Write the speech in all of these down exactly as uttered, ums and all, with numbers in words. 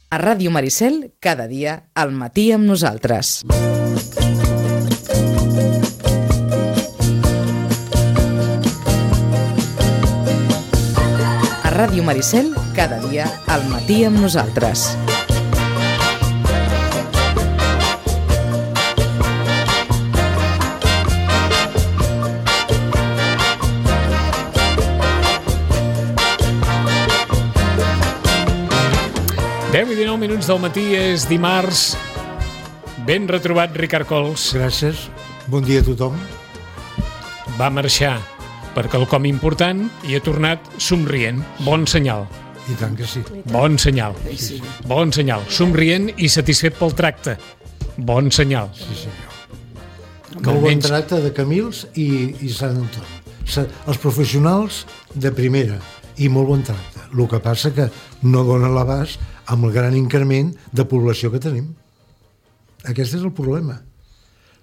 A Ràdio Maricel, cada dia al matí amb nosaltres. A Ràdio Maricel, cada dia al matí amb nosaltres. deu i dinou minuts del matí, és dimarts. Ben retrobat, Ricard Cols. Gràcies. Bon dia a tothom. Va marxar per quelcom important i ha tornat somrient. Bon senyal. I tant que sí. Bon senyal. Bon senyal. Somrient i satisfet pel tracte. Bon senyal. Sí, senyor. Molt bon tracte de Camils i, i Sant Antoni. Els professionals de primera i molt bon tracte. El que passa que no dona l'abast amb el gran increment de població que tenim. Aquest és el problema.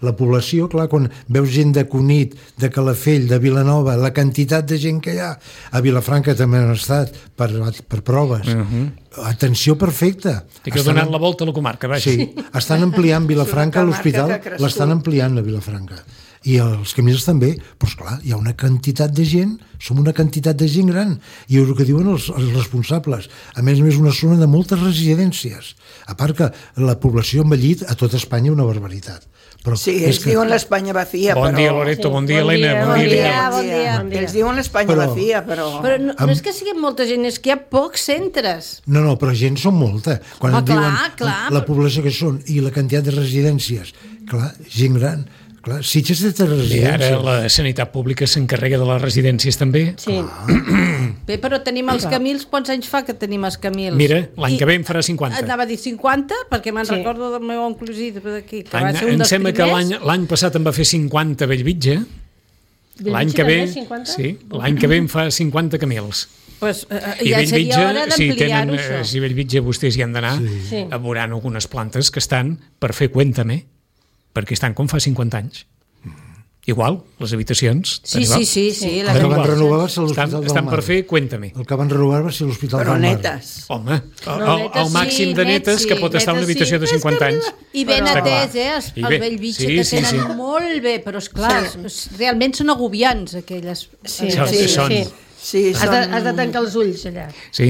La població, clar, quan veus gent de Cunit, de Calafell, de Vilanova, la quantitat de gent que hi ha, a Vilafranca també han estat per, per proves. Uh-huh. Atenció perfecta. I que ha donat la volta a la comarca, vaja. Sí, estan ampliant Vilafranca, l'hospital l'estan ampliant a Vilafranca. I els Camils també, però esclar, hi ha una quantitat de gent, som una quantitat de gent gran, i és el que diuen els, els responsables. A més a més, una zona de moltes residències. A part que la població ha envellit a tot Espanya una barbaritat. Però sí, ells que... diuen l'Espanya vacía, bon però... Dia, Loreto, bon dia, sí, bon Helena, dia, bon, bon dia, dia, bon dia. Bon dia. Ells diuen l'Espanya però... vacía, però... Però no, no és que sigui molta gent, és que hi ha pocs centres. No, no, però gent són molta. Quan oh, et diuen clar, clar, la població que són i la quantitat de residències, clar, gent gran... Clar, Sitges té residències. I ara la sanitat pública s'encarrega de les residències també. Sí. Bé, però tenim els Camils, quants anys fa que tenim els Camils? Mira, l'any I que ve en farà cinquanta. Anava a dir cinquanta, perquè me'n sí. recordo del meu oncle d'aquí, que any, va ser un dels sembla primers. que l'any passat en va fer cinquanta Bellvitge. L'any que ve, sí, l'any que ve en fa cinquanta Camils. Pues, uh, ja seria hora d'ampliar-ho, si això. Si Bellvitge vostès hi han d'anar, sí. a veuran algunes plantes que estan per fer Cuéntame, perquè estan com fa cinquanta anys. Igual, les habitacions. Sí, sí, sí, sí. El que van renovar va ser l'Hospital estan, del estan Mar. per fer Cuéntame. El que van renovar va ser l'Hospital Però del Mar. netes. Home, el, netes, el màxim sí, de netes net, que pot sí, estar en una habitació sí. de cinquanta anys. I ben Però... atès, eh, els, I el bé, Bellvitge, sí, que sí, tenen sí. molt bé, però esclar, sí. realment són agobiants, aquelles... Sí, sí, sí, són. sí. sí has, són... de, has de tancar els ulls, allà. Sí.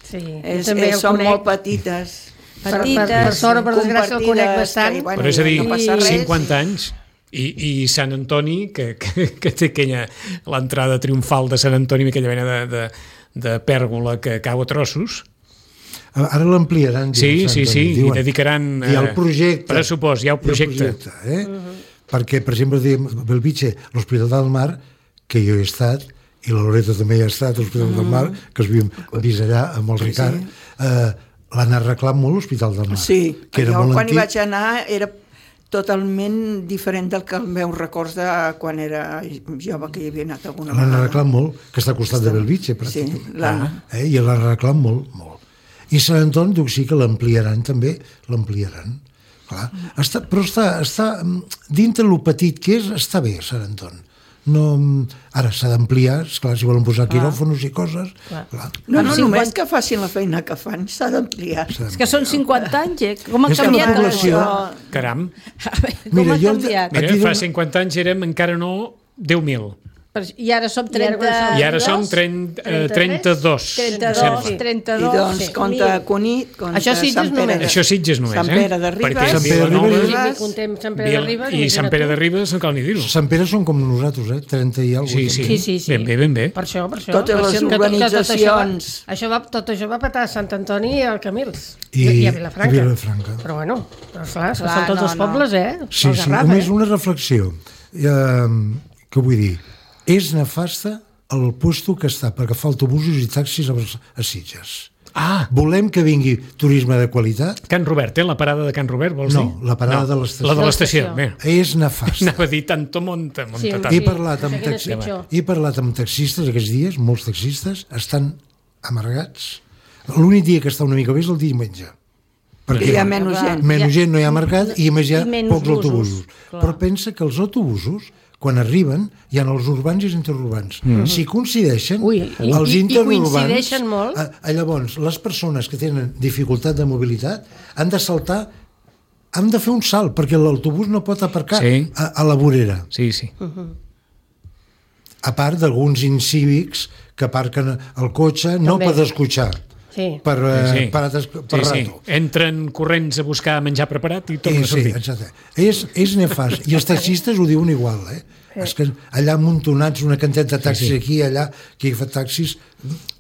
Sí, és, també és, són molt petites. Per, per, per sort o per desgràcia el conec bastant. Que, bueno, però és a dir, no passa res, cinquanta i... anys i, i Sant Antoni, que, que, que té aquella l'entrada triomfal de Sant Antoni, aquella mena de, de, de pèrgola que cau a trossos. Ara l'ampliaran. Sí, sí, sí, i dedicaran hi ha el projecte, pressupost, hi ha el projecte. El projecte eh? uh-huh. Perquè, per exemple, a Bellvitge, l'Hospital del Mar, que jo he estat, i la Loreto també hi ha estat, l'Hospital uh-huh. del Mar, que es vist allà amb el Ricard, sí, sí. Eh, l'han arreglat molt l'Hospital del Mar. Sí, que era jo molt quan antic. hi vaig anar era totalment diferent del que el meu records de quan era jove, que hi havia anat alguna vegada. L'han arreglat molt, que està al costat Està... de Bellvitge, pràcticament. Sí, l'han... eh? I l'han arreglat molt, molt. I Sant Antoni, diu, sí que l'ampliaran també, l'ampliaran. Clar. Està, però està, està dintre el petit que és, està bé, Sant Antoni. No, ara s'ha d'ampliar, esclar, si volen posar quiròfonos i coses. Clar. Clar. No, no, només que facin la feina que fan, s'ha d'ampliar. És que són cinquanta anys, eh? Com ha és canviat població... això? Caram. Com Mira, ha jo... canviat? Mira, fa cinquanta anys érem encara no deu mil. I ara som trenta... I ara som trenta, eh, trenta-dos. trenta-dos, trenta-dos. I doncs, sí. compte Cunit, compte Això Sitges Sant Pere. només. Això Sitges només, Sant eh? Pere de Ribes. Perquè Sant Pere de Vilanova... Si contem Sant Pere de Ribes... I Sant Pere de Ribes no cal ni dir-ho. Sant Pere són com nosaltres, eh? trenta i alguna Sí, sí, Sí, sí, sí. ben bé, ben bé. Per això, per això. Totes per les això, que tot- que tot urbanitzacions. Això va, tot això va petar a Sant Antoni i al Camils. I, I a Vilafranca. I Vilafranca. Però bueno, però clar, Clar, són tots no, els no. pobles, eh? Sí, El sí, Garraf, només eh? una reflexió. Eh, què vull dir? És nefasta el puesto que està per agafar autobusos i taxis a, a Sitges. Ah, Volem que vingui turisme de qualitat? Can Robert, eh? La parada de Can Robert, vols No, dir? la parada de l'estació. La de l'estació, De bé. És nefast. Anava a dir tanto monta, monta Sí, tant. He sí. parlat, amb Seguint és taxi... pitjor. He parlat amb taxistes aquests dies, molts taxistes, estan amargats. L'únic dia que està una mica bé és el diumenge. Perquè hi ha menys gent. Menys gent no hi ha mercat i a més hi ha I menys pocs busos, autobusos. clar. Però pensa que els autobusos, quan arriben, hi ha els urbans i els interurbans. Mm. Si coincideixen, Ui, i- els i- i interurbans... coincideixen molt. A, a, llavors, les persones que tenen dificultat de mobilitat han de saltar, han de fer un salt, perquè l'autobús no pot aparcar Sí. a, a la vorera. Sí, sí. A part d'alguns incívics que aparquen el cotxe, no També. per descotxar, Sí. per, eh, Sí, sí. per, ates- per sí, sí. rato. Entren corrents a buscar menjar preparat i tornen Eh, a sí, sortir. exacte. És, és nefast. I els taxistes ho diuen igual, eh? És que allà amuntonats, una quantitat de taxis Sí, sí. aquí, allà, que fa taxis...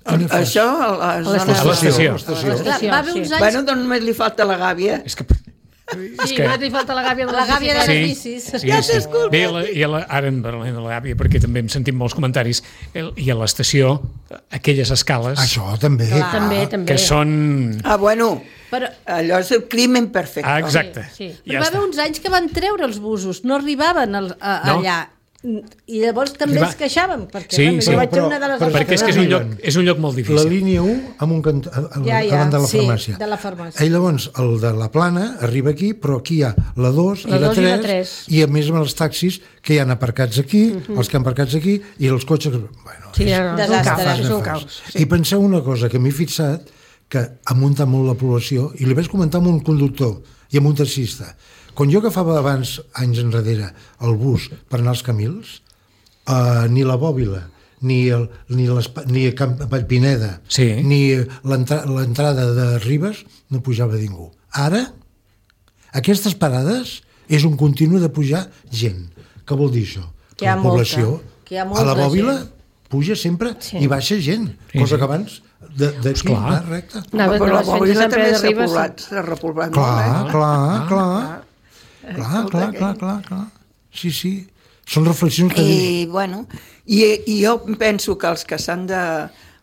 nefast. Això a la A zona... l'estació. A l'estació. Clar, va haver uns anys... Bueno, doncs només li falta la gàbia. És que... Sí, només li falta la gàbia de La gàbia de les Sí, bicis. sí, Ja sí. t'escolto. Bé, la, i a la, ara en parlem de la gàbia, perquè també hem sentit molts comentaris, el, i a l'estació, aquelles escales Això també. També, també. que són... Ah, bueno, Però, allò és el crimen perfecte. Ah, exacte. Sí, sí. però va haver uns anys que van treure els busos, no arribaven al, a, No. allà. I llavors també Arriba- es queixàvem, perquè Sí, bueno, sí. jo vaig Però- a una de les però- altres Perquè és que és un lloc, és un lloc molt La difícil. línia u amb un cant... a, a, Ja, ja, davant de la sí, farmàcia. de la farmàcia. I llavors el de la plana arriba aquí, però aquí hi ha la dos La i la dos i la tres, tres. i a més amb els taxis que hi han aparcats aquí, els que han aparcats aquí, i els cotxes... Bueno, Sí, és, no, no, és un Desastre. caos, és un nefast. caos. I penseu una cosa, que m'he fixat que ha muntat molt la població, i li vaig comentar amb un conductor i amb un taxista. Quan jo agafava abans, anys enrere, el bus per anar als Camils, Uh, ni la Bòbila, ni, el, ni, ni Camp Vallpineda, Sí. ni l'entrada de Ribes, no pujava ningú. Ara, aquestes parades és un continu de pujar gent. Què vol dir això? Que hi ha la població, molta, que hi ha a molta la Bòbila, gent. puja sempre Sí. i baixa gent, Sí, cosa sí. que abans de- d'aquí Esclar. va recte. Anava de Però la les fents de Bòbila Sant també Pere de s'ha Ribes. repoblat, s'ha repoblat Clar, molt, eh? clar, clar. Clar, clar, clar, clar, clar. Sí, sí. Són reflexions que... I, bueno, i, i jo penso que els que s'han de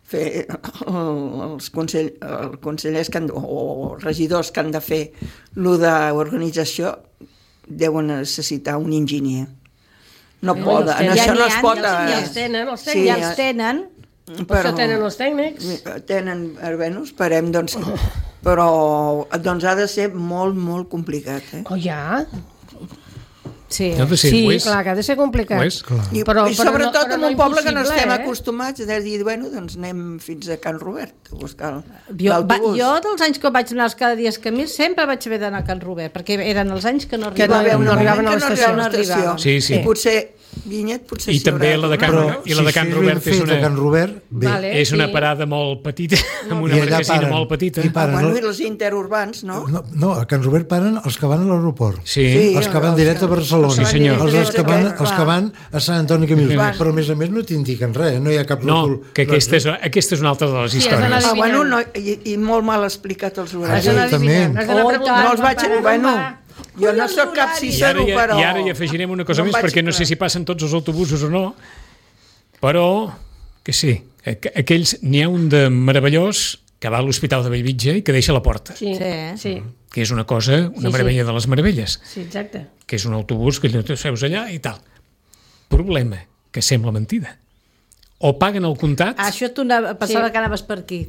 fer, els, consell, els consellers que han, de- o regidors que han de fer lo d'organització deuen necessitar un enginyer. No Ja poden, n'hi en ha, això no n'hi es ha, pot... ja Ja n'hi els tenen, els Sí, tenen. Ja els tenen. Per això tenen els tècnics. Tenen, eh, bueno, esperem, doncs, però doncs ha de ser molt, molt complicat, eh? Oh, ja? Sí. Ha de ser, Sí, ho és. clar, que ha de ser complicat. Ho és. Clar. I, Però- i però sobretot no- però en no un poble que no impossible, estem eh? acostumats, de dir, bueno, doncs anem fins a Can Robert a buscar Jo, va, l'autobús. jo dels anys que vaig anar els cada dia a Camils sempre vaig haver d'anar a Can Robert, perquè eren els anys que no Que no- arribaven. no arribaven a que no l'estació. arribaven a l'estació. Sí, sí. I potser, Vinyet, potser I s'hi també haurà la de Can, tornat. Però i la de si Can això és Robert ben és fet una, a Can Robert, bé. Vale. és una sí. parada molt petita, amb una I allà marquesina paren. molt petita. I Ah, paren. bueno, no? i els interurbans, no? No, no, a Can Robert paren els que van a l'aeroport. Sí. Sí. Els que van els directe a que- Barcelona. Sí, senyor. Els, els, que van, Clar. els que van a Sant Antoni Camils. Van. Però a més a més no t'indiquen res, no hi ha cap No, ròtol. que aquesta és, aquesta és una altra de les Sí, has d'anar històries. Ah, bueno, no, adivinant. i, i molt mal explicat els Has horaris. d'anar Exactament. adivinant, has d'anar Oh, preguntant. No els vaig... Pare, Bueno, on va? jo no sóc cap I ara, cicero, ja, però... I ara hi afegirem una cosa no em més, vaig perquè no sé clar. si passen tots els autobusos o no, però que sí, aqu- aquells, n'hi ha un de meravellós que va a l'Hospital de Bellvitge i que deixa a la porta, Sí, Sí. sí, que és una cosa, una Sí, sí. meravella de les meravelles, sí, exacte. que és un autobús que te seus allà i tal. Problema, que sembla mentida. O paguen el comptat, Ah, això tu anava, pensava Sí. que anaves per aquí.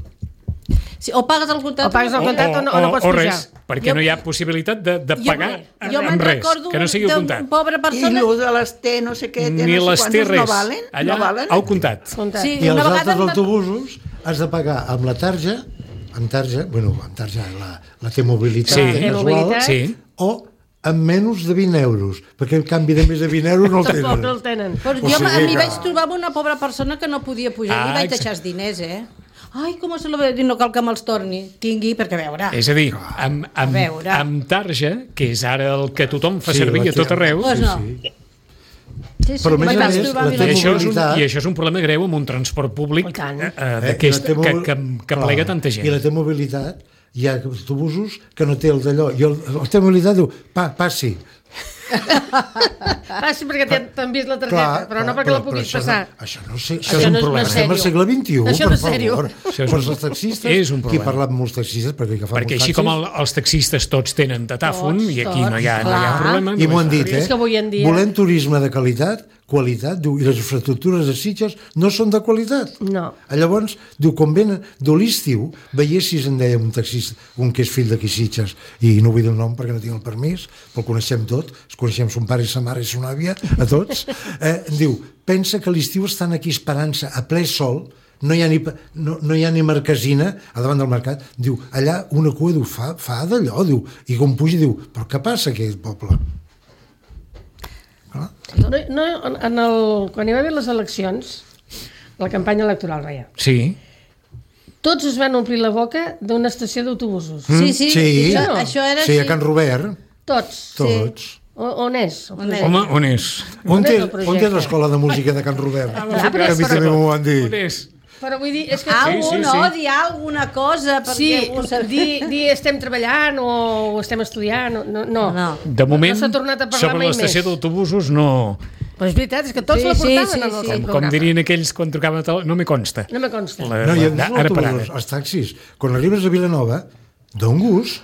Sí, o pagues el comptat O pagues el o, comptat o no- o no pots o pujar. res, perquè Jo- no hi ha possibilitat de, de Jo- pagar jo amb me'n res, recordo que no sigui el d'un comptat. pobre I persona... el de les T, no sé què, té, Ni no les sé té quantos, res, no valen? allà no valen? al comptat. Comptat. Sí, I els una altres vegada em va- autobusos has de pagar amb la tarja, amb tarja, bueno, amb tarja, la, la T-mobilitat Sí. casual, T-mobilitat. Sí. o amb menys de vint euros, perquè el canvi de més de vint euros no el Tampoc tenen. no el tenen. Però O jo sigui a mi que- vaig trobar amb una pobra persona que no podia pujar Ah, i li vaig exacte. deixar els diners, eh? Ai, com se lo veu dir, no cal que me'ls torni. Tingui, perquè a veure... És a dir, amb, amb, veure. amb tarja, que és ara el que tothom fa Sí, servir la a tot té- arreu, Pues no. sí. Sí, sí, Però a me'n més a vaig més, trobar la amb I té- una- això, és un, mobilitat. I això és un problema greu amb un transport públic I tant. eh, Eh, d'aquest i la que, T-mobil- que, que clar, plega tanta gent. I la T-mobilitat, hi ha autobusos que no té el d'allò, i el, el T-mobilitat diu, pa, passi. Passi perquè t'han- t'han vist la targeta, però no perquè la puguis això passar. No, això no sé, Això és un no, problema. No és Estem al sèrio. segle vint-i-u, Això no per és sèrio. favor. Això és Però un- els taxistes, és un qui problema. ha parlat amb molts taxistes, perquè que fa Perquè molts així taxis, com el, els taxistes tots tenen datàfon, Tots, i aquí no hi ha, no hi ha clar. problema. i m'ho han només- dit, eh? És que avui en dia- Volem turisme de qualitat, qualitat, diu, i les infraestructures de Sitges no són de qualitat. No. Llavors, diu, com venen de l'estiu, veiessis, en deia un taxista, un que és fill d'aquí Sitges, i no vull dir el nom perquè no tinc el permís, però el coneixem tot, ens coneixem, som son pare i sa mare i son àvia, a tots, eh, diu, pensa que a l'estiu estan aquí esperant-se a ple sol, no hi ha ni, no, no hi ha ni marquesina a davant del mercat, diu, allà una cua, diu, fa, fa d'allò, diu, i com puja, diu, però què passa aquí al poble? Ah? No, no, en el, quan hi va haver les eleccions, la campanya electoral, veia, Sí. tots es van omplir la boca d'una estació d'autobusos. Mm, Sí, sí, sí. Això, això era Sí, així. a Can Robert, Tots. tots. O, on és? el On és? projecte? Home, on és? On és té, el on projecte? té l'escola de música de Can Robert? clar, que però- a mi també m'ho van dir. On és? Però vull dir, és que... Algú, Sí, sí, no? sí. Dir alguna cosa perquè Sí, algú sap- dir, dir estem treballant o estem estudiant, o- no. no. No. De moment, no s'ha tornat a parlar sobre mai l'estació més. d'autobusos no... Però és veritat, és que tots Sí, la sí, portaven sí, en el sí. seu Com, com programa. dirien aquells quan trucaven a tele... No me consta. No me consta. La, No, i la, els ara per ara. autobusos, els taxis, quan arribes a Vilanova, d'un gust,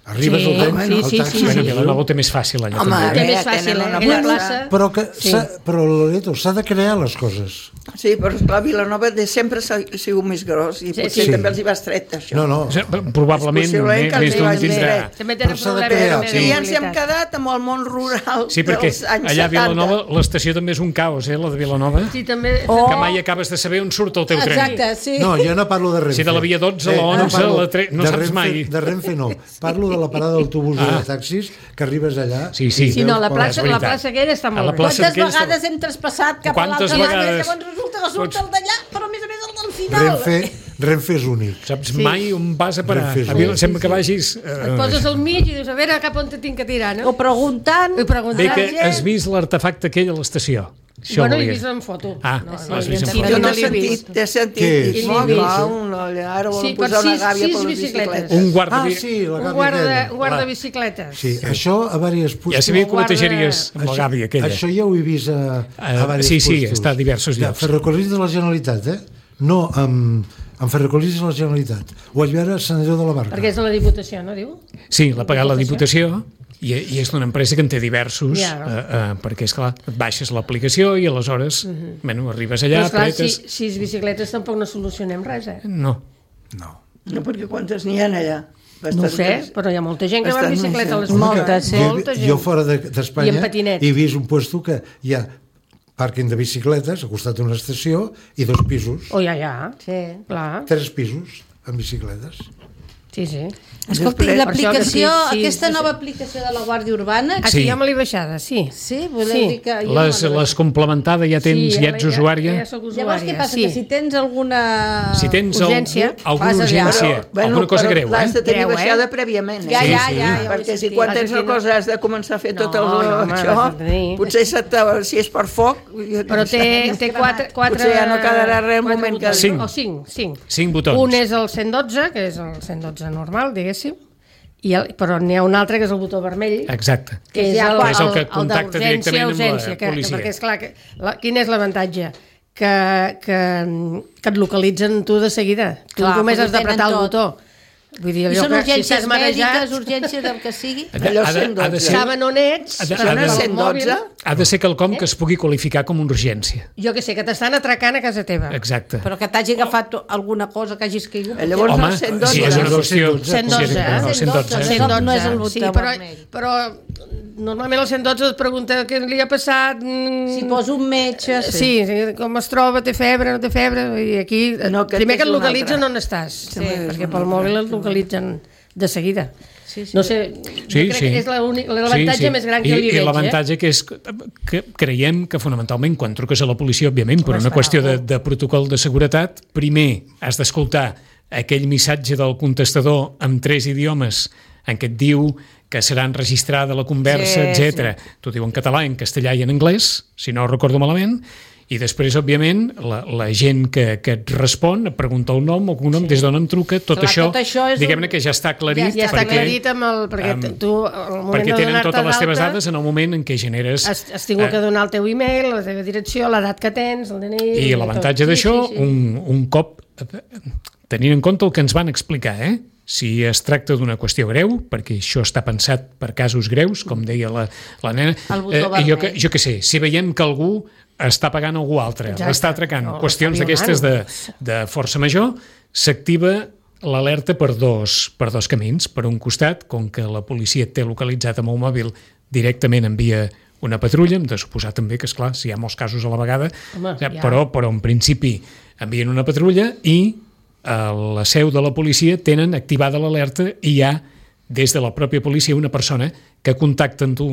arribes Sí, al tren, home, al sí, sí, taxi, sí, Bueno, sí. Vilanova ho té més fàcil allò. Home, també. Té eh, més fàcil, tenen eh? una I la plaça. plaça... Però, que Sí. s'ha- però Loreto, s'ha de crear les coses. Sí, però esclar, Vilanova de sempre s'ha sigut més gros i Sí, potser sí. també els hi va estret, això. No, no. O sigui, Probablement És possible més, que més els d'un hi vagi tindrà. dret. També tenen Però s'ha de problemes crear, també sí. de I ens hem mobilitat. quedat amb el món rural Sí, perquè dels anys allà a setanta. Vilanova l'estació també és un caos, eh, la de Vilanova. Sí, també... Oh. Que mai acabes de saber on surt el teu tren. Exacte, sí. No, jo no parlo de Renfe. Sí, de la via dotze, la onze, parlo la tre- no de saps Renfe, mai. De Renfe no. Parlo de la parada d'autobús Ah. o de taxis, que arribes allà... Sí, sí. i Sí, no, veus la com- plaça, és la veritat. plaça aquella està A la molt bé. plaça- Quantes aquells- vegades hem traspassat cap Quantes a l'altra banda i vegades? llavors resulta que surt Pots- el d'allà, però a més a més el del final. Renfe, Renfe és únic. Saps mai on vas a parar. Renfe és A mi únic. sembla que vagis... Et Eh, poses al mig i dius, a veure cap on te tinc que tirar, no? O preguntant... I preguntant. bé que gent. has vist l'artefacte aquell a l'estació. Això Bueno, he volia. vist en foto. Ah, No, l'has no, vist en sí, foto. Jo no n'he l'he vist. sentit, t'he sentit. Què Dic, és? molt L'he clar, vist. un, ara volen Sí, per posar una sis- gàbia sis per les bicicletes. bicicletes. Un guarda... Ah, sí, la Un gàbia guarda, aquella. un guarda Clar. bicicletes. Sí, això a diverses Ja puestos. sabia que ho guarda- netejaries amb la gàbia aquella. Això ja ho he vist a, a Eh, diversos sí, sí, puestos. està a diversos De llocs. Ferrocarrils de la Generalitat, eh? No amb, amb Ferrocarrils de la Generalitat. Ho vaig veure a Sant Andreu de la Barca. Perquè és de la Diputació, no diu? Sí, l'ha pagat la Diputació i, i és d'una empresa que en té diversos, Ja. eh, eh, perquè, esclar, et baixes l'aplicació i aleshores, Mhm. bueno, arribes allà, Però esclar, si, apretes... sis bicicletes tampoc no solucionem res, eh? No. No. No, perquè quantes n'hi ha allà? No ho sé, Bastantes. però hi ha molta gent que va en Bastant bicicleta a les més gent. moltes, sí. molta gent. Jo fora de- d'Espanya I en patinet. he vist un puesto que hi ha pàrquing de bicicletes al costat d'una estació i dos pisos, O ja, ja. Sí. Clar, tres pisos amb bicicletes. sí, sí. Escolta, i Després- l'aplicació, Per això que sí, sí, aquesta sí. nova aplicació de la Guàrdia Urbana... Aquí Sí. ja me l'he baixada, sí. Sí, voleu Sí. dir que... jo Les, no me les complementada ja tens, sí, ja ets usuària? Ja, ja soc usuària, Llavors, què passa? sí. Que si tens alguna... Si tens Urgència, algú, alguna fas allà. urgència, alguna cosa però greu, l'has de eh? tenir Greu, eh? baixada prèviament. Eh? Ja, Sí, ja, sí. ja, ja ho he Perquè si sentit. quan Has de tens una tenir- cosa has de començar a fer tot No, el, no, home, això, has de tenir. potser se te, si és per foc... Però té, té quatre, quatre... Potser ja no quedarà res al quatre moment que- botons. Cinc. O cinc, cinc. Cinc botons. Un és el cent dotze, que és el cent dotze normal, diguéssim, i el, però n'hi ha un altre que és el botó vermell, Exacte. que és ja el, quan- és el que el contacta d'urgència, directament amb la urgència, que, policia. Que, perquè, esclar, que, la, quin és l'avantatge? Que, que, que et localitzen tu de seguida. Tu Clar, només perquè has d'apretar tenen el tot. botó. Vull dir, I allò són que si urgències estàs marejat, mèdiques, urgències del que sigui. Allò Ha de- cent ha de dotze. ser- saben on ets, Ha de- per ha de- el cent dotze? mòbil. Ha de ser quelcom que es pugui qualificar com una urgència. Jo que sé, que t'estan atracant a casa teva. Exacte. Però que t'hagi agafat alguna cosa que hagis caigut. Eh, Llavors Home, el cent dotze. si és una no, qüestió... cent dotze, sí, eh? no, cent dotze. cent dotze. No és el botó sí, però, vermell. però normalment el cent dotze et pregunta què li ha passat... mm, Si posa un metge... Sí, sí, com es troba, té febre, no té febre, i aquí No, aquest primer que és et un localitzen altre. on estàs, Sí, és perquè un pel altre. mòbil et localitzen de seguida. Sí, sí. No sé, Sí, jo crec sí. que és l'únic- l'avantatge més gran que I, li I veig. l'avantatge que és que creiem que fonamentalment quan truques a la policia, òbviament, per una qüestió de, de protocol de seguretat, primer has d'escoltar aquell missatge del contestador amb tres idiomes en què et diu que serà enregistrada la conversa, Sí, etcètera. T'ho diu en català, en castellà i en anglès, si no ho recordo malament, i després, òbviament, la, la gent que, que et respon, et pregunta el nom, el cognom, sí. des d'on em truca, tot Clar, això, tot això és diguem-ne un- que ja està aclarit. Ja està perquè, aclarit amb el... Perquè amb- tu, al moment perquè de tenen donar-te totes les teves d'alta, dades en el moment en què generes... Has, has tingut eh, que donar el teu e-mail, la teva direcció, l'edat que tens, el D N I... I l'avantatge tot. d'això, Sí, sí, sí. un, un cop, tenint en compte el que ens van explicar, eh? si es tracta d'una qüestió greu, perquè això està pensat per casos greus, com deia la, la nena, El botó eh, jo, vermell. que, jo que sé, si veiem que algú està pagant algú altre, Exacte. l'està atracant, O qüestions està d'aquestes de, violant. de força major, s'activa l'alerta per dos, per dos camins. Per un costat, com que la policia et té localitzat amb el mòbil, directament envia una patrulla, hem de suposar també que, esclar, si hi ha molts casos a la vegada, Home, ja, ja. però, però en principi envien una patrulla i a la seu de la policia tenen activada l'alerta i hi ha, des de la pròpia policia, una persona que contacta amb tu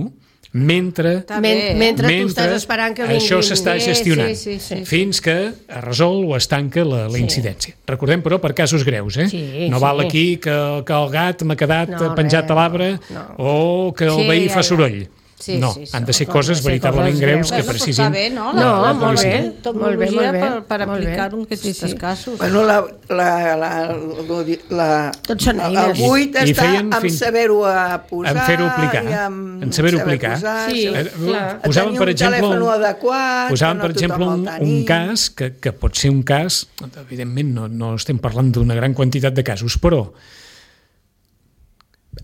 mentre, Està Men, bé, eh? mentre, mentre tu estàs esperant que vinguin. això s'està Sí, gestionant sí, sí, sí. fins que es resol o es tanca la, la incidència. Recordem, però, per casos greus, eh? Sí, no sí. val aquí que, que el gat m'ha quedat No, penjat res, a l'arbre no. o que el Sí, veí ja, fa ja. soroll. Sí, no, sí, sí. han de ser No, coses han de ser veritablement coses greus greus. que Bueno, però precisin està bé, no? No, la, la molt policia. bé. Tecnologia Molt bé, per, per molt bé. aplicar-ho en aquests Sí, sí. casos. Bueno, la, la, la, la, la, Tot són el eines. buit I- i està feien en fins- saber-ho a posar en fer-ho aplicar, i en, en saber-ho saber aplicar. posar, Sí, saber- Eh, clar. Posaven, tenir per un exemple, telèfon adequat, posaven, que per no exemple, tothom un, el un tenia. cas que, que pot ser un cas, evidentment no, no estem parlant d'una gran quantitat de casos, però,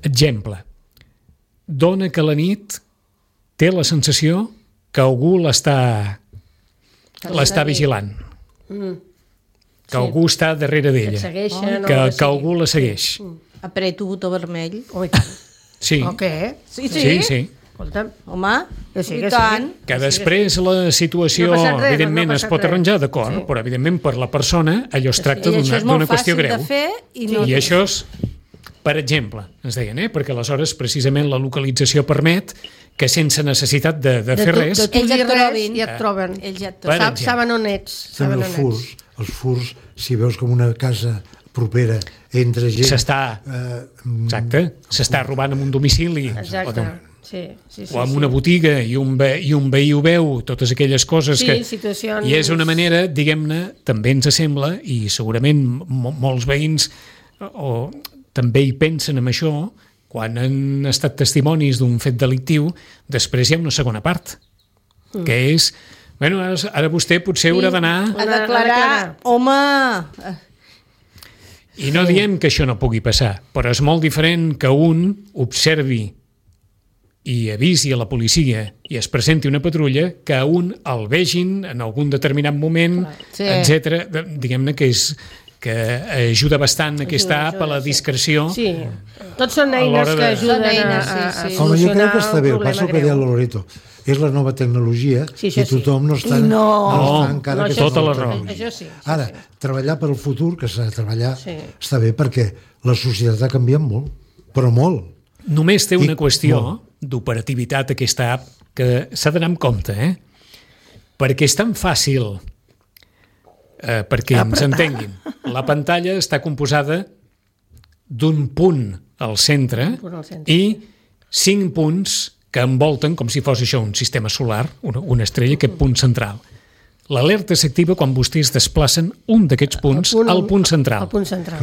exemple, dona que a la nit té la sensació que algú l'està l'està vigilant, Mm. que algú està darrere Que et d'ella, segueixen, que, o que algú la segueix. Apreto botó vermell. Oh, i tant. Sí, O què? Sí, sí. sí, sí. Escolta'm. Home, Que sí, i que sí. tant. Que després la situació, No ha passat res, evidentment, no ha es passat pot res. arranjar, d'acord, Sí. però, evidentment, per la persona, allò es tracta I això d'una és molt d'una qüestió fàcil greu. de fer i no... I això és, per exemple, ens deien, eh? perquè aleshores, precisament, la localització permet que sense necessitat de, de fer tu- res, De tu Ells ja dir et res trobin. i et troben. Ells ja et Per troben. Sab, exemple. saben on ets. També Saben els on ets. furs. Els furs, si veus com una casa propera entre gent... s'està, Eh, exacte, s'està robant en un domicili Exacte. o, Sí, sí, sí, o en sí. una botiga i un, ve, i un veí ho veu, totes aquelles coses Sí, que... situacions- I és una manera, diguem-ne, també ens sembla, i segurament mo molts veïns o també hi pensen en això, quan han estat testimonis d'un fet delictiu, després hi ha una segona part, mm. que és, bueno, ara, ara vostè potser haurà d'anar... A A declarar, declarar. home... I no diem que això no pugui passar, però és molt diferent que un observi i avisi a la policia i es presenti una patrulla que a un el vegin en algun determinat moment, Sí. etcètera. Diguem-ne que és que ajuda bastant aquesta app a la discreció. Sí, tots són A eines l'hora que de- ajuden Són eines, a, a, sí, a sí. Home, jo solucionar crec que està bé, el un passa el problema que deia greu. Loreto. És la nova tecnologia Sí, això i sí. tothom no està, I no- està No, encara no, que això tota és la nova raó. tecnologia. Això sí, això Ara, sí. treballar per al futur, que s'ha de treballar, Sí. està bé perquè la societat ha canviat molt, però molt. Només té una I- qüestió molt. d'operativitat aquesta app que s'ha d'anar amb compte, eh? Perquè és tan fàcil, eh, perquè ens entenguin. La pantalla està composada d'un punt al centre punt al centre, i cinc punts que envolten, com si fos això un sistema solar, una, una estrella, aquest punt central. L'alerta s'activa quan vostès desplacen un d'aquests punts punt- al punt central. Al punt central.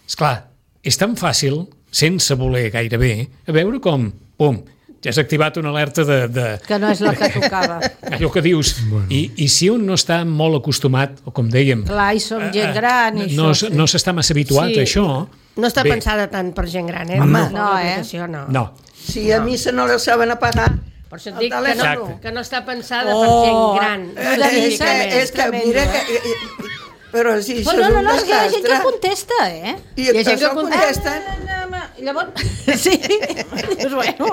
Esclar, és tan fàcil, sense voler gairebé, a veure com, pum, ja has activat una alerta de, de Que no és la que tocava. allò que dius. Bueno. I, I si un no està molt acostumat, o com dèiem, Clar, i som gent gran i no, això. s- no s'està massa habituat Sí. a això, No està bé, pensada tant per gent gran, eh? Home, no, eh? L'aplicació, no. no. Si a missa no la saben apagar, Per això et el dic que no, Exacte. que no està pensada Oh, per gent gran. eh, és, que, específicament. és que tremendo, mira eh? que... Però si això Però no, és no, un no, és que hi ha gent que desastre. contesta, eh? I Hi ha gent que això contesten I llavors... Sí. Dius, bueno...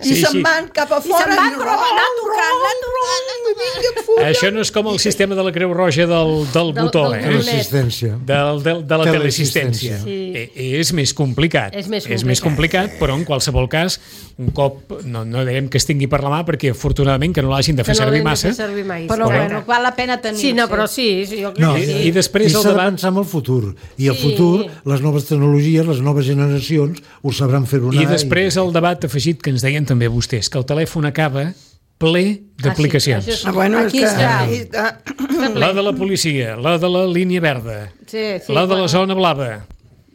i Sí, se'n sí. van cap a I se'n fora van, i però anar tocant, anar tocant. Això no és com el sistema de la Creu Roja del, del Del- botó, del eh? bonet. Resistència. Del, del, de la teleassistència. Teleassistència. Sí. Eh, és més complicat. És més és més complicat, però en qualsevol cas, un cop, no, no direm que es tingui per la mà, perquè afortunadament que no l'hagin de fer Que no servir l'hem de massa, fer servir mai. Però sí. bueno, val la pena tenir. Sí, no, però sí, sí jo crec No, que I- sí. i després I el s'ha de debat- pensar en el futur. I el Sí. futur, les noves tecnologies, les noves generacions, ho sabran fer anar. I després el debat afegit que ens deien també vostès, que el telèfon acaba ple d'aplicacions. Ah, sí, Ah, bueno, Aquí és que... està. Aquí està. La de la policia, la de la línia verda, Sí, sí, la de la zona blava.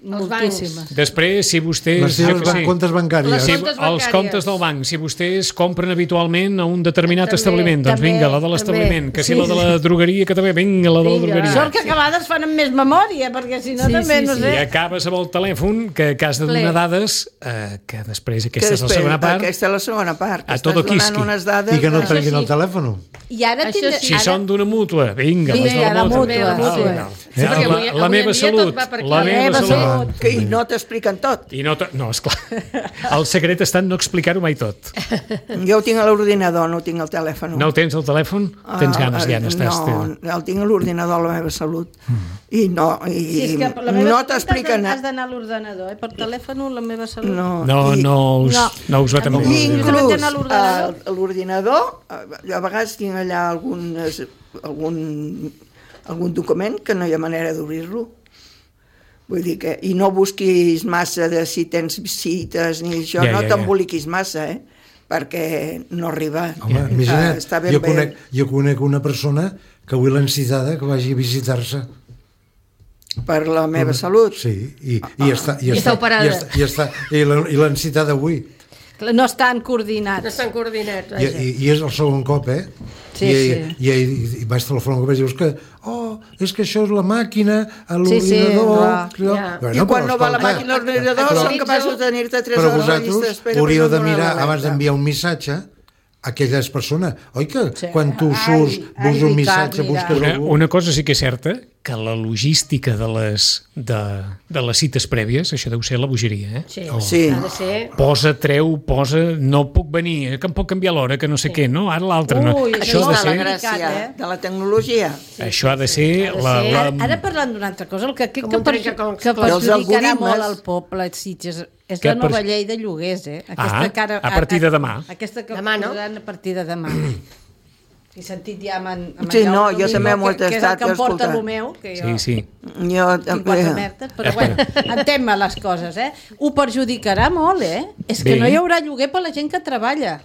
moltíssimes. Després, si vostès... Les seves jo que sé, comptes bancàries. Les si, comptes els bancàries. comptes del banc, si vostès compren habitualment a un determinat També, establiment, doncs també, vinga, la de l'establiment, també. que si Sí. la de la drogueria, que també, vinga, la de la Vinga. drogueria. Sort que a vegades fan amb més memòria, perquè si no Sí, també, sí, no sí. sé... I acabes amb el telèfon que, que has de donar Ple. dades, eh, que després, Que aquesta és la després- segona part, Aquesta és la segona part. que A estàs todo donant quisqui. unes dades... I que no de- trenguin sí. el telèfon. I ara Això tindré... sí. si ara... són d'una mútua, vinga, Vinga, les de la la mútua. mútua, Ah, sí. val. Sí, Eh, perquè la, avui- la avui en meva dia tot salut, va per aquí. la La meva meva salut. salut. tot. Que i no t'expliquen tot. I no, no, esclar. El secret està en no explicar-ho mai tot. Jo ho tinc a l'ordinador, no ho tinc al telèfon. No ho tens al telèfon? Tens ganes, ja, no estàs... No, el tinc a l'ordinador a la meva salut. I no, i Sí, és que la meva no salut t'expliquen... Has d'anar a l'ordenador, eh? Per telèfon, la meva salut. No, No, i- no us, No. no us va tan bé. I inclús Vaig anar a l'ordinador. a l'ordinador, a vegades tinc allà algunes, algun, algun document que no hi ha manera d'obrir-lo. Vull dir que... I no busquis massa de si tens cites ni això, Ja, no ja, ja. t'emboliquis massa, eh? Perquè no arriba. Home, Eh, imagina't, està ben jo, bé. conec, jo conec una persona que avui l'han citada que vagi a visitar-se. Per la meva salut. Sí, i, i, està, i, I està operada. I, està, i, està, i l'han i l'han citada avui. No estan coordinats. No estan coordinats. I, i, I és el segon cop, eh? Sí, I, sí. I, i, i vaig telefonar i dius que oh, és que això és la màquina, a Sí, sí, l'ordinador... clar. Ja. I quan però no va la escolta, màquina a l'ordinador però- són capaços de tenir-te tres Però hores a la llista vosaltres d'espera. hauríeu per no de donar mirar, l'alerta. abans d'enviar un missatge, aquelles persones, oi que Sí. quan tu Ai, surts, ai, vols un Ricard, missatge, mira. busques Una, algú... una cosa sí que és certa, que la logística de les, de, de les cites prèvies, això deu ser la bogeria, eh? Sí, Sí. ha de ser... Posa, treu, posa, no puc venir, que em pot canviar l'hora, que no sé què, no? Ara l'altre no. Ui, Això Això ha de és la ser, gràcia eh? de la tecnologia. això ha de ser Ha de la, ser- la, Ara, ara parlant d'una altra cosa, el que crec Com que, un perju trencacols. que Els perjudicarà algoritmes. molt al poble Sitges és Que la nova per- llei de lloguers, eh? Ah, Aquesta a partir de demà. Aquesta que Demà, no? posaran a partir de demà. He sentit ja amb, en, amb Sí, en no, Jaume jo Domingo, també m'ho he que, que és el tastat, que em porta escolta. el meu, que jo... sí, sí. Jo tinc també... quatre merdes, però bueno, entén-me les coses, eh? Ho perjudicarà molt, eh? És que Bé. no hi haurà lloguer per la gent que treballa.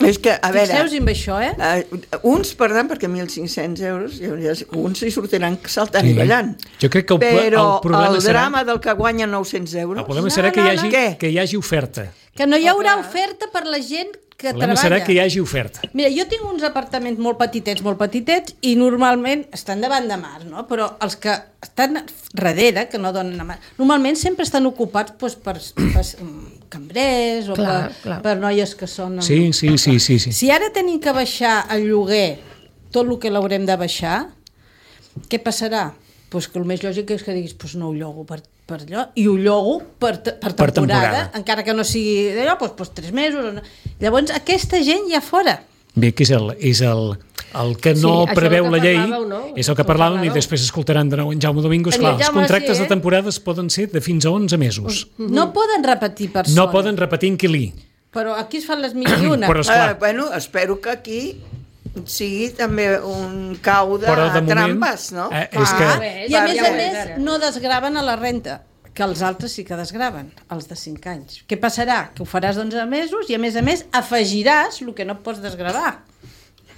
És que, a veure... Fixeu-vos amb això, eh? Uh, uns perdran perquè mil cinc-cents euros llavors, uns hi sortiran saltant Sí. i ballant. Jo crec que el, però el problema el serà... drama del que guanya nou-cents euros El problema No, serà que hi no, hagi, no. Què? que hi hagi oferta. Que no hi haurà oferta per la gent que El problema treballa. serà que hi hagi oferta. Mira, jo tinc uns apartaments molt petitets, molt petitets, i normalment estan davant de mar, no? Però els que estan darrere, que no donen a mar, normalment sempre estan ocupats doncs, per, per cambrers o Clar, per, clar. per noies que són... Sí, sí, sí, sí, sí. Si ara tenim que baixar el lloguer, tot el que l'haurem de baixar, què passarà? Pues que el més lògic és que diguis, pues no ho llogo per, per allò, i ho llogo per, te- per, Per temporada, temporada. encara que no sigui d'allò, pues, pues tres mesos. O no. Llavors, aquesta gent ja fora. Bé, que és el, és el, el que Sí, no això preveu que la llei, parlàveu, no? és el que Que parlàvem i parlàveu. després escoltaran de nou en Jaume Domingo. Mira, Esclar, els Jaume, contractes sí, eh? de temporades poden ser de fins a onze mesos. No poden repetir persones. No poden repetir inquilí. Però aquí es fan les mil i una. Però Uh, esclar, bueno, espero que aquí sigui també un cau de, Però de moment, trampes, no? eh, és que- Ah, Bé, I a ja més ho a és, més ara. no desgraven a la renta, que els altres sí que desgraven, els de cinc anys. Què passarà? Que ho faràs d'onze mesos i a més a més afegiràs el que no pots desgravar.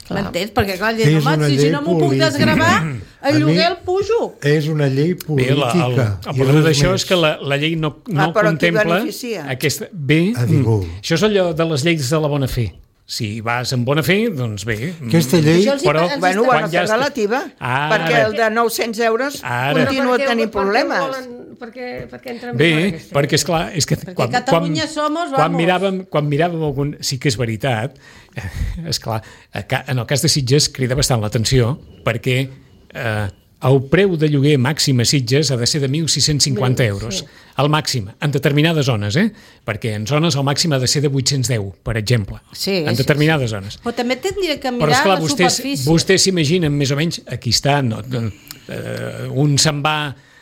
M'entens? Perquè clar, És dius, home, una si, si llei no m'ho puc política. desgravar, A el mi- lloguer el pujo. És una llei bé, política. la, el, el i problema res d'això més. és que la, la llei no, no Ah, però qui contempla beneficia? aquesta... Bé, A ningú. mm, això és allò de les lleis de la bona fe. Si vas amb bona fe, doncs bé. mm, Aquesta llei... Això els hi- però els Bueno, està- ho han quan de ja fer està- relativa, Ara. perquè el de nou-cents euros Ara. continua Però per què- tenint per què problemes. volen- Per què, per què entren Bé, per aquesta perquè llei? és clar, és que quan, Catalunya quan, somos, quan vamos. miràvem, quan miràvem algun, sí que és veritat, és clar, en el cas de Sitges crida bastant l'atenció perquè eh, el preu de lloguer màxim a Sitges ha de ser de mil sis-cents cinquanta euros, el màxim, en determinades zones, eh? Perquè en zones el màxim ha de ser de vuit-cents deu, per exemple, Sí, en sí, determinades zones. Però també tindria que Però mirar esclar, la vostès, superfície. vostès s'imaginen més o menys, aquí està, no, no, eh, un se'n va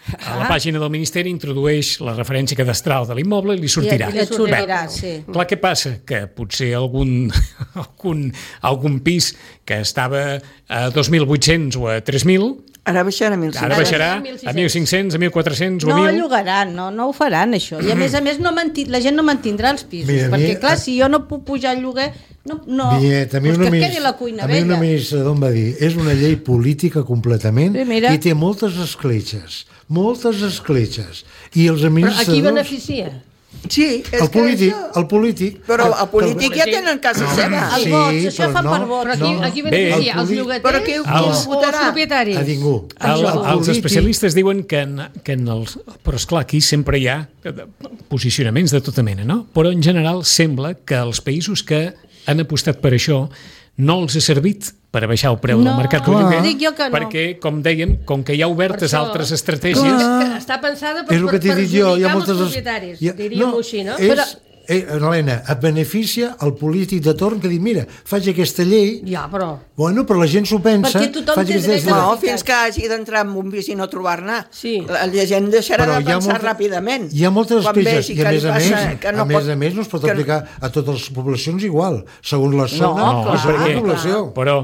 a la Ah. pàgina del Ministeri, introdueix la referència cadastral de l'immoble i li sortirà. I, i et sortirà, Bé, sí. clar, què passa? Que potser algun, algun, algun pis que estava a dos mil vuit-cents o a tres mil, Ara baixarà a mil cinc-cents. ara baixarà mil sis-cents. a mil cinc-cents, a mil quatre-cents o a No mil. llogaran, no, no ho faran, això. I a més a més, no manti... la gent no mantindrà els pisos. Mira, a mi- perquè, clar, si jo no puc pujar el lloguer, no, no, Vinyet, a mi pues un que adminis- quedi la cuina a mi un vella. administrador em va dir és una llei política completament Sí, mira. i té moltes escletxes, moltes escletxes. I els Però a qui administradors... beneficia? Sí, és El que polític, això... el polític... Però el- el polític ja tenen casa seva. Els Sí, vots, això però fa no, per vots. Però a qui, No. a qui Bé, beneficia? el Els polític- llogaters Però qui- o, qui o els votarà? els propietaris? A ningú. El, El els polític- especialistes diuen que en, que en els... Però, esclar, aquí sempre hi ha posicionaments de tota mena, no? Però, en general, sembla que els països que han apostat per això no els ha servit per baixar el preu No, del mercat de clar. lloguer, Dic jo que no. perquè, com dèiem, com que hi ha obertes Per això. altres estratègies... És que està pensada per, És el per que t'he dit jo, hi ha perjudicar moltes... els propietaris, hi ha- diríem-ho així, no? És, Però, eh, Helena, et beneficia el polític de torn que diu, mira, faig aquesta llei, ja, però... bueno, però la gent s'ho pensa, Perquè tothom faig té aquesta dret a- llei. No, fins que hagi d'entrar en un pis i no trobar-ne. Sí. La, la gent deixarà Però de hi ha pensar molta- ràpidament. Hi ha moltes Quan queixes vegi i a que li més a passa més, que a més a més no es pot que- aplicar a totes les poblacions igual, segons la zona No, i clar, segons la perquè- població. Però,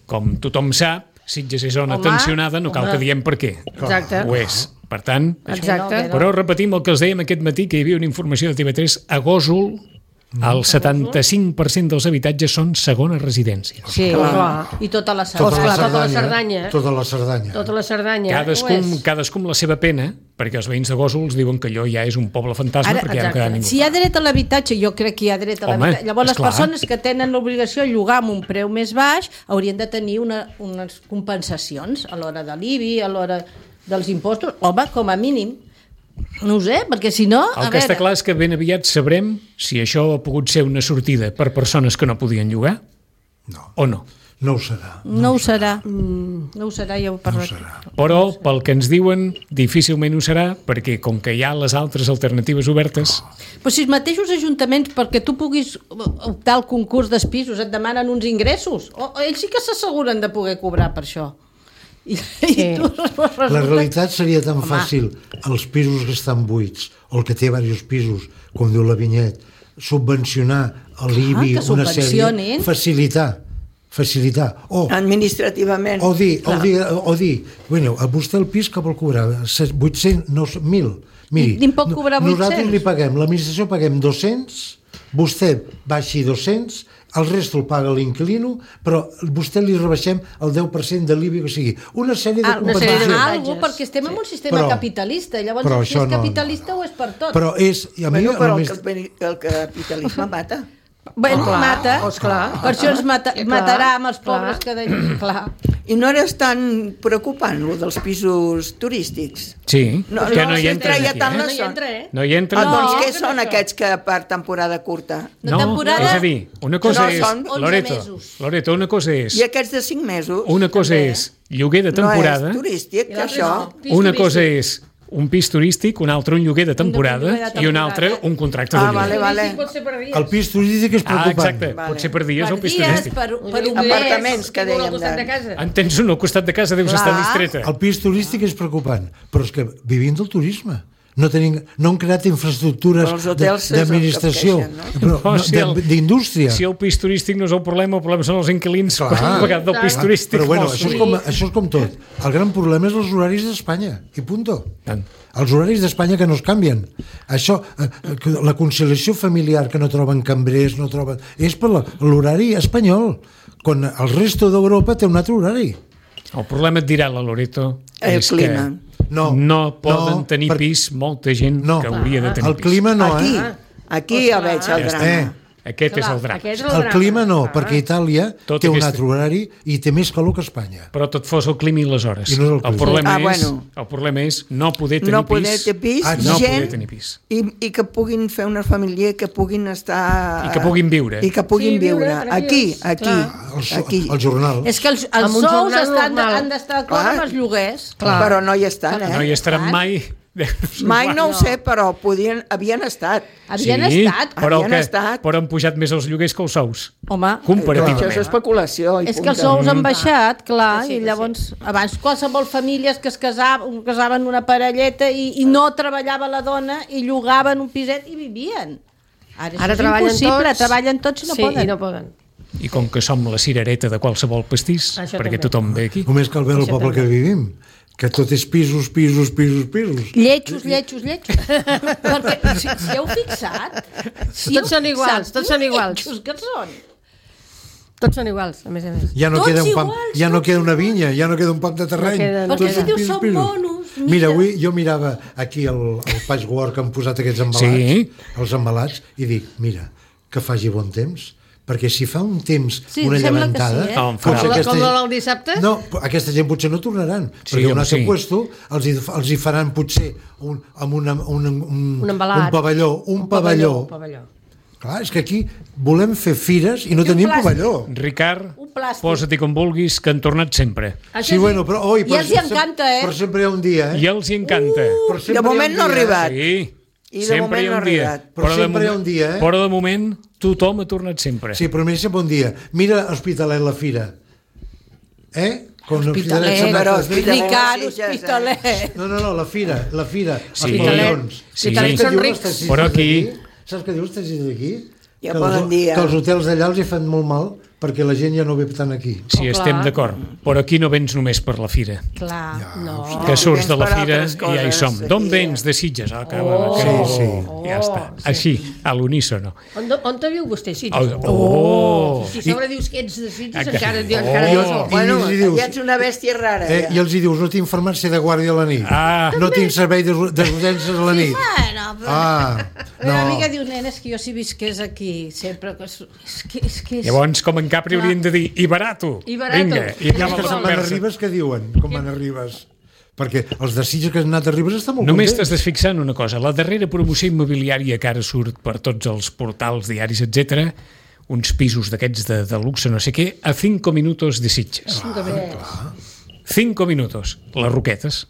com tothom sap, Sitges és zona Home, tensionada, no cal home. que diem per què. Exacte. Ho és. Per tant, Exacte. però repetim el que els dèiem aquest matí, que hi havia una informació de T V tres, a Gósol el setanta-cinc per cent dels habitatges són segona residència. Sí, Clar. i tota la Tota Cerdanya. la Clar, tota la Cerdanya. Cerdanya. Tota la Cerdanya. Tota la Cerdanya. Cadascú, ho és. cadascú amb la seva pena, perquè els veïns de Gósol els diuen que allò ja és un poble fantasma, Ara, perquè ja no exacte. queda ningú. Si hi ha dret a l'habitatge, jo crec que hi ha dret a Home, l'habitatge. Llavors, les esclar. persones que tenen l'obligació de llogar amb un preu més baix haurien de tenir una, unes compensacions a l'hora de l'I B I, a l'hora dels impostos. Home, com a mínim. No ho sé, perquè si no... El a que està veure, clar és que ben aviat sabrem si això ha pogut ser una sortida per persones que no podien llogar No, o no. no ho serà. no ho serà. No ho serà, ja ho No ho parlaré. serà. Però, pel que ens diuen, difícilment ho serà, perquè com que hi ha les altres alternatives obertes, Però si els mateixos ajuntaments, perquè tu puguis optar al concurs dels pisos, et demanen uns ingressos. O, o ells sí que s'asseguren de poder cobrar per això. I, Sí. i tu resulta... La realitat seria tan Home. fàcil, els pisos que estan buits, o el que té diversos pisos, com diu la Vinyet, subvencionar a l'I B I que una sèrie, subvencionin. facilitar, facilitar, o, Administrativament. o dir, o dir, o dir, bueno, a vostè el pis que vol cobrar vuit-cents, no, mil. Miri, I en pot cobrar nosaltres vuit-cents? li paguem, l'administració paguem dos-cents, vostè baixi dos-cents, el resto el paga l'inquilino, però vostè li rebaixem el deu per cent de l'I B I, o sigui, una sèrie de Ah, una sèrie de compensacions. avantatges. Algo, perquè estem en un sistema Però- capitalista. Llavors, però si això és no- capitalista o és per tot. Però és... I a mi, Bueno, però a el, més, capi- el capitalisme mata. Bueno, Clar, mata. esclar. Per això ens mata, Clar, matarà amb els clar. pobres que deien. Clar. I no eres tan preocupant, lo dels pisos turístics. sí, No, que no, no hi si entres treia aquí, tant eh? la No hi son. entra, eh? No hi entra. Ah, No. doncs què no, són no. aquests que per temporada curta? De No, temporada... és a dir, una cosa No, és... són onze Loreto, mesos. Loreto, una cosa és... I aquests de cinc mesos? Una cosa també. és lloguer de No temporada, és turístic, I que l'altre això... no. Pis una turístic. cosa és un pis turístic, un altre un lloguer de temporada lloguer de i un temporada. altre un contracte Ah, de lloguer. vale, vale. Sí, pot ser per dies. el pis turístic és Ah, preocupant. exacte, Vale. pot ser per dies Per el pis dies, turístic. per, per un Apartaments, apartaments. que Tinc un al dèiem costat de- de casa. En tens un al costat de casa, deus Clar. estar distreta. El pis turístic és preocupant, però és que vivim del turisme. No, tenim, no han creat infraestructures Però els hotels és el que d'administració, es queixen, però No, no, si el- de- d'indústria. Si el pis turístic no és el problema, el problema són els inquilins Clar. que han pagat del pis Clar, turístic. Però bueno, Molt això és, sovint. com, això és com tot. El gran problema és els horaris d'Espanya, i punto. Tant. Els horaris d'Espanya que no es canvien. Això, eh, que la conciliació familiar que no troben cambrers, no troben... És per la- l'horari espanyol, quan el resto d'Europa té un altre horari. El problema et dirà la Loreto El és clima. que No, no poden no, tenir per- pis molta gent No, que hauria de tenir el pis. clima no, Aquí, eh? aquí ja veig el Ja està. drama. Eh, Aquest Clar, és el drama. aquest és El drama. clima no, Ah. perquè Itàlia Tot té un aquesta- altre horari i té més calor que Espanya. Però tot fos el clima i les hores. I no és el el, clima. problema Ah, és, bueno. el problema és no poder tenir No poder pis. tenir pis, Ah, no gent, poder tenir pis. I, i que puguin fer una família, que puguin estar... I que puguin viure. I que puguin Sí, viure viure. tranquils, Aquí, aquí, clar. El, aquí. el jornal. És que els, els Amb un sous jornal estan, normal. han d'estar d'acord Clar. amb els lloguers. Però no hi estan, eh? No hi estaran Clar. mai. Mai no ho sé, però podien, havien estat. Havien sí, estat. Però, Havien que, estat. però han pujat més els lloguers que els sous. Home, Comparativament. Això és especulació. I és que els punto. sous han baixat, clar, Sí, i sí. llavors, abans qualsevol famílies que es casaven, casaven una parelleta i, i no treballava la dona i llogaven un piset i vivien. Ara, això Ara és treballen impossible, tots. treballen tots i no sí, poden. i no poden. I com que som la cirereta de qualsevol pastís, Això perquè també. tothom ve aquí. Només cal veure el Això poble també. que vivim, que tot és pisos, pisos, pisos, pisos. Lletjos, lletjos, lletjos. Perquè, si, si heu fixat... Si Tots heu són iguals, fixat, tots són iguals. lletjos que són. Tots són iguals, a més a més. Ja no, Tots queda un pam, iguals, ja no tots queda una vinya, ja no queda un pam de terreny. No queda- Tots Perquè si són dius pisos, són pisos. monos, mira. Mira, avui jo mirava aquí el, el patchwork que han posat aquests embalats, Sí. els embalats, i dic, mira, que faci bon temps, perquè si fa un temps, Sí, una sembla que llevantada... sí, eh? No, em potser farà. Com la del dissabte? No, aquesta gent potser no tornaran, Sí, perquè un home, altre sí. puesto els hi, els hi faran potser un, amb una, un, un, Un embalat. un pavelló, un, Un pavelló, Un pavelló. Clar, és que aquí volem fer fires i no I un tenim plàstic. pavelló. Ricard, Un plàstic. posa-t'hi com vulguis, que han tornat sempre. Això Sí, bueno, però... Oi, I però els hi sempre- encanta, eh? Però sempre hi ha un dia, eh? I els hi encanta. Però sempre De hi ha moment un no ha dia, eh? arribat. Sí. I de sempre moment hi ha no un ha dia. arribat. Però de sempre hi ha moment- un dia, eh? Però de moment tothom ha tornat sempre. Sí, però mira sempre un dia. Mira Hospitalet la fira. Eh? Com Hospitalet, se'n va però a fer- Hospitalet. Ricard, Sitges, eh? Hospitalet. No, no, no, la fira, la fira. Sí. Els pavellons. Sí. Saps què Són diu rics. les taxistes Però aquí- d'aquí? Saps què diu els taxistes d'aquí? Ja Que poden els- dir, eh? Que els hotels d'allà els hi fan molt mal perquè la gent ja no ve tant aquí. Sí, Oh, estem clar. d'acord. Però aquí no vens només per la fira. Clar. No. Que surts vens de la per fira altres i ja hi coses, som. aquí, D'on eh? vens? De Sitges. Ah, que, Oh. que, Sí, sí. Ja està. Així, a l'unísono. On, on te viu vostè, Sitges? Oh! Si a sobre dius que ets de Sitges, Ah, que- encara, Oh. encara I no els- som. i Bueno, els hi dius- ja ets una bèstia rara. Eh, ja. I els hi dius, no tinc farmàcia de guàrdia a la nit. Ah. No tinc servei de- d'urgències a la nit. Bueno, però... Ah, Una no. amiga diu, nena, és que jo si visqués aquí sempre... Que és, és que és... Que és... Llavors, com en Capri haurien de dir i barato. I barato. Vinga, i I acaba els que la se'n van a conversa. Ribes, què diuen? Com van a Ribes? Perquè els de Sitges que han anat a Ribes estan molt Només t'has contents. de fixar en una cosa. La darrera promoció immobiliària que ara surt per tots els portals, diaris, etcètera, uns pisos d'aquests de, de luxe, no sé què, a cinco minutos de Sitges. Cinco minutos. Les Roquetes.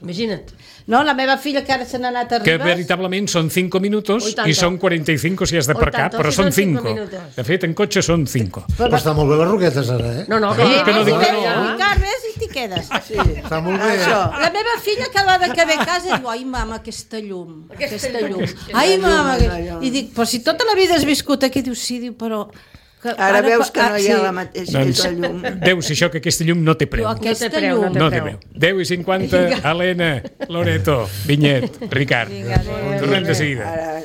Imagina't. No, la meva filla que ara se n'ha anat a Que Ribes... veritablement són cinco minutos Oi, i tanto. són quaranta y cinco si has de Oi, aparcar, tanto, però si són són cinco cinco. minutos. De fet, en cotxe són cinco. Però està molt bé les Roquetes ara, eh? No, no, Ah, que, que no dic que no. Ricard, ves i t'hi quedes. Sí. Està molt bé. Això. La meva filla cada vegada que ve a casa diu, ai mama, aquesta llum, aquesta, Aquesta llum. llum. Ai mama, Aquesta que... llum. I dic, però si tota la vida has viscut aquí, diu, sí, diu, però... Que, Ara veus que no hi ha sí. la mateixa Doncs, la llum. deu ser això que aquesta llum no té preu. Diu, No té aquesta preu, no llum. té No té preu. preu. deu i cinquanta, Helena, Loreto, Vinyet, Ricard. Vinga, adéu. Tornem de seguida. Ara,